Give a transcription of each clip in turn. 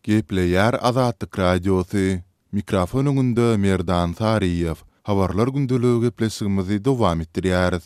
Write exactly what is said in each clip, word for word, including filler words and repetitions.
Gepleýär Azatlyk Radiosy. Mikrofon öňünde Merdan Saryýew. Habarlar gündeligi gepleşigimizi dowam etdirýäris.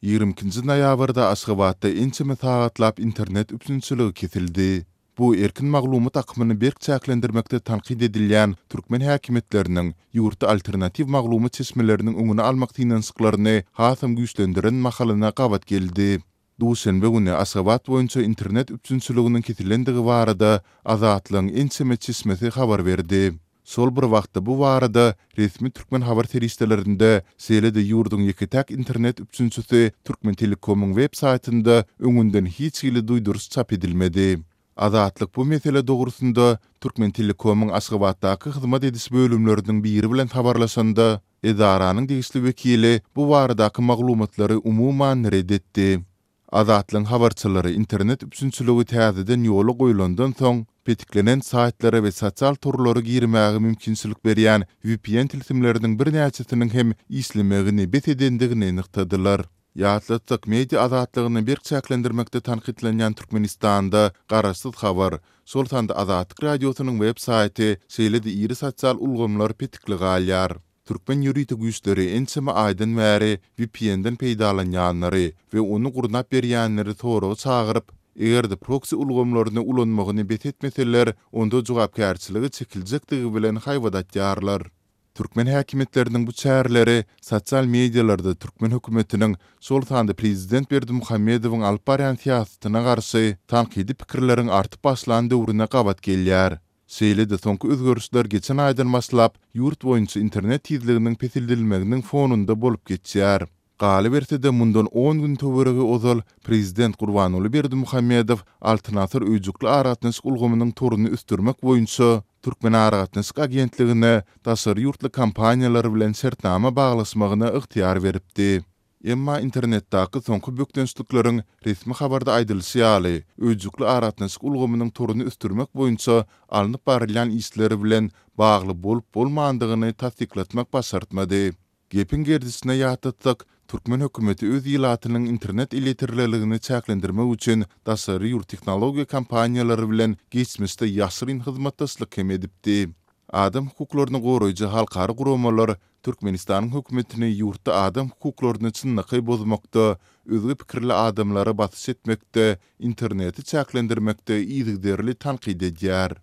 Ýigrimi ikinji noýabrda Aşgabatda ençeme sagatlap internet üpjünçiligi kesildi. Bu erkin maglumat akymyny berk çäklendirmekde tankyt edilýän türkmen häkimiýetleriniň ýurtda alternatiw maglumat çeşmeleriniň öňüni almak synanyşyklaryny hasam güýçlendiren mahalyna gabat geldi. Duşenbe güni Aşgabat boýunça internet üpjünçiliginiň kesilendigi barada Azatlygyň ençeme çeşmesi habar berdi. Şol bir wagtda bu barada resmi türkmen habar serişdelerinde, şeýle-de ýurduň ýeke-täk internet üpjünçisi Türkmentelekomyň web saýtynda öňünden hiç hili duýduryş çap edilmedi. Azatlyk bu mesele dogrusynda Türkmentelekomyň Aşgabatdaky hyzmat ediş bölümleriniň biri bilen habarlaşanda, edaranyň degişli wekili bu baradaky maglumatlary umuman ret etdi. Azatlygyň habarçylary internet üpjünçiligi täzeden ýola goýlandan soň, petiklenen saýtlara we sosial torlara girmäge mümkinçilik berýän VPN tilsimleriniň birnäçesiniň hem işlemegini bes edendigini nygtadylar. Ýatlatsak, media azatlygyny berk çäklendirmekde tankytlanýan Türkmenistanda garaşsyz habar, şol sanda Azatlyk Radiosynyň web saýty, şeýle-de iri sosial ulgamlar petikli galýar. Türkmen ýörite güýçleri ençeme aýdan bäri VPN-den peýdalanýanlary we ony gurnap berýänleri soraga çagyryp, eger-de proksi ulgamlaryny ulanmagyny bes etmeseler, onda jogapkärçilige çekiljekdigi bilen haýbat atýarlar. Türkmen häkimiýetleriniň bu çäreleri sosial medialarda türkmen hökümetiniň, şol sanda prezident Berdimuhamedowyň alyp barýan syýasatyna garşy tankydy pikirleriň artyp başlan döwrüne gabat gelýär. Şeýle-de soňky özgerişler geçen aýdan başlap ýurt boýunça internet tizliginiň peseldilmeginiň fonunda bolup geçýär. Galyberse-de mundan on gün töweregi ozal prezident Gurbanguly Berdimuhamedow Altyn asyr öýjükli aragatnaşyk ulgamynyň toruny ösdürmek boýunça Türkmenaragatnaşyk agentligine daşary ýurtly kompaniýalar bilen şertnama baglaşmagyna ygtyýar beripdi. Emma internetdäki soňky bökdençlikleriň resmi habarda aýdylyşy ýaly, öýjükli aragatnaşyk ulgamynyň toruny ösdürmek boýunça alnyp barylýan işler bilen bagly bolup-bolmandygyny tassyklatmak başartmady. Gepiň gerdişine ýatlatsak, türkmen hökümeti öz ilatynyň internet elýeterliligini çäklendirmek üçin daşary ýurt tehnologiýa kompaniýalary bilen geçmişde ýaşyryn hyzmatdaşlyk hem edipdi. Adam hukuklaryny goraýjy halkara guramalar Türkmenistanyň hökümetini ýurtda adam hukuklaryny çynlakaý bozmakda, özge pikirli adamlara basyş etmekde, interneti çäklendirmekde yzygiderli tankyt edýär.